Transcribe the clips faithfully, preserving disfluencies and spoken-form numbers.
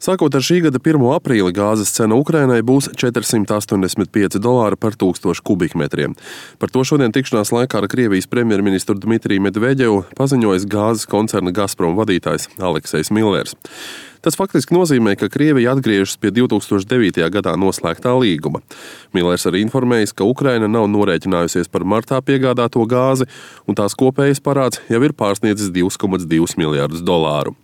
Sākot ar šī gada pirmo aprīli gāzes cena Ukrainai būs četri simti astoņdesmit pieci dolāri par tūkstošu kubikmetriem. Par to šodien tikšanās laikā ar Krievijas premjerministru Dmitriju Medvedevu paziņojis gāzes koncerna Gazprom vadītājs Aleksejs Millers. Tas faktiski nozīmē, ka Krievija atgriežas pie divi tūkstoši devītajā gadā noslēgtā līguma. Millers arī informējis, ka Ukraina nav norēķinājusies par martā piegādāto gāzi, un tās kopējais parāds jau ir pārsniedzis divi komats divi miljardus dolāru.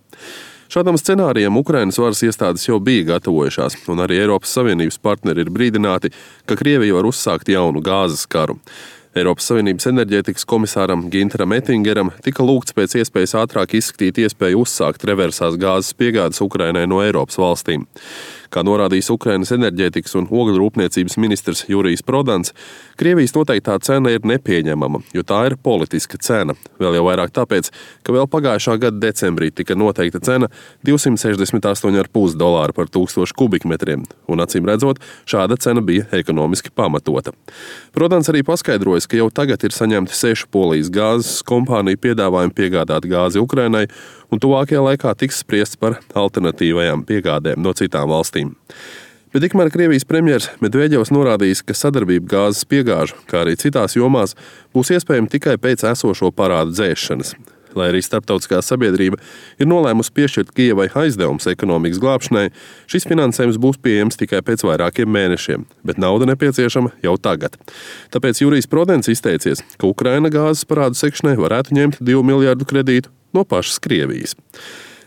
Šādam scenārijam Ukrainas varas iestādes jau bija gatavojušās, un arī Eiropas Savienības partneri ir brīdināti, ka Krievija var uzsākt jaunu gāzes karu. Eiropas Savienības enerģētikas komisāram Ginteram Ettingeram tika lūgts pēc iespējas ātrāk izskatīt iespēju uzsākt reversās gāzes piegādes Ukrainai no Eiropas valstīm. Kā norādījis Ukrainas enerģētikas un ogļu rūpniecības ministrs Jurijs Prodans, Krievijas noteiktā cena ir nepieņemama, jo tā ir politiska cena. Vēl jau vairāk tāpēc, ka vēl pagājušā gada decembrī tika noteikta cena divsimt sešdesmit astoņi komats pieci dolāri par tūkstošu kubikmetriem, un acīm redzot, šāda cena bija ekonomiski pamatota. Prodans arī paskaidrojas, ka jau tagad ir saņemti sešu Polijas gāzes kompāniju piedāvājumi piegādāt gāzi Ukrainai, un tuvākajā laikā tiks spriests par alternatīvajām piegādēm no citām valstīm. Bet tikmēr Krievijas premjers Medvedevs norādījis, ka sadarbība gāzes piegāžu, kā arī citās jomās, būs iespējama tikai pēc esošo parādu dzēšanas. Lai arī starptautiskā sabiedrība ir nolēmusi piešķirt Kijevai aizdevumus ekonomikas glābšanai, šis finansējums būs pieejams tikai pēc vairākiem mēnešiem, bet nauda nepieciešama jau tagad. Tāpēc Jurijs Prodans izteicies, ka Ukraina gāzes parādu sekšanai varētu ņemt divu miljardu kredītu no pašas Krievijas.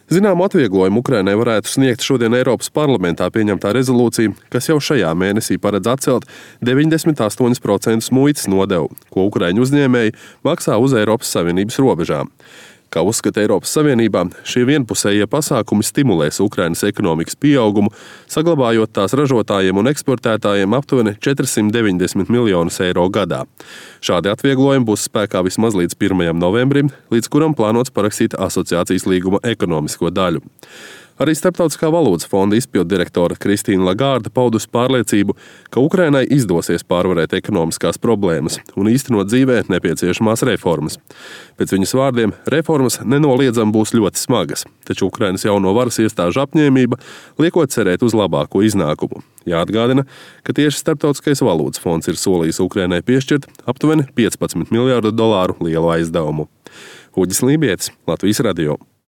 Zināmu atvieglojumu Ukrainai varētu sniegt šodien Eiropas parlamentā pieņemtā rezolūcija, kas jau šajā mēnesī paredz atcelt deviņdesmit astoņi procenti muitas nodevu, ko ukraiņu uzņēmēji maksā uz Eiropas Savienības robežām. Kā uzskata Eiropas Savienībā, šie vienpusējie pasākumi stimulēs Ukrainas ekonomikas pieaugumu, saglabājot tās ražotājiem un eksportētājiem aptuveni četrsimt deviņdesmit miljonus eiro gadā. Šādi atvieglojumi būs spēkā vismaz līdz pirmajam novembrim, līdz kuram plānots parakstīt asociācijas līguma ekonomisko daļu. Arī Starptautiskā valūtas fonda izpilddirektore Kristīna Lagārde paudus pārliecību, ka Ukrainai izdosies pārvarēt ekonomiskās problēmas un īstenot dzīvē nepieciešamās reformas. Pēc viņas vārdiem, reformas nenoliedzami būs ļoti smagas, taču Ukrainas jauno varas iestāžu apņēmība liekot cerēt uz labāko iznākumu. Jāatgādina, ka tieši Starptautiskais valūtas fonds ir solījis Ukrainai piešķirt aptuveni piecpadsmit miljardu dolāru lielu aizdevumu. Uģis Lībietis, Latvijas radio.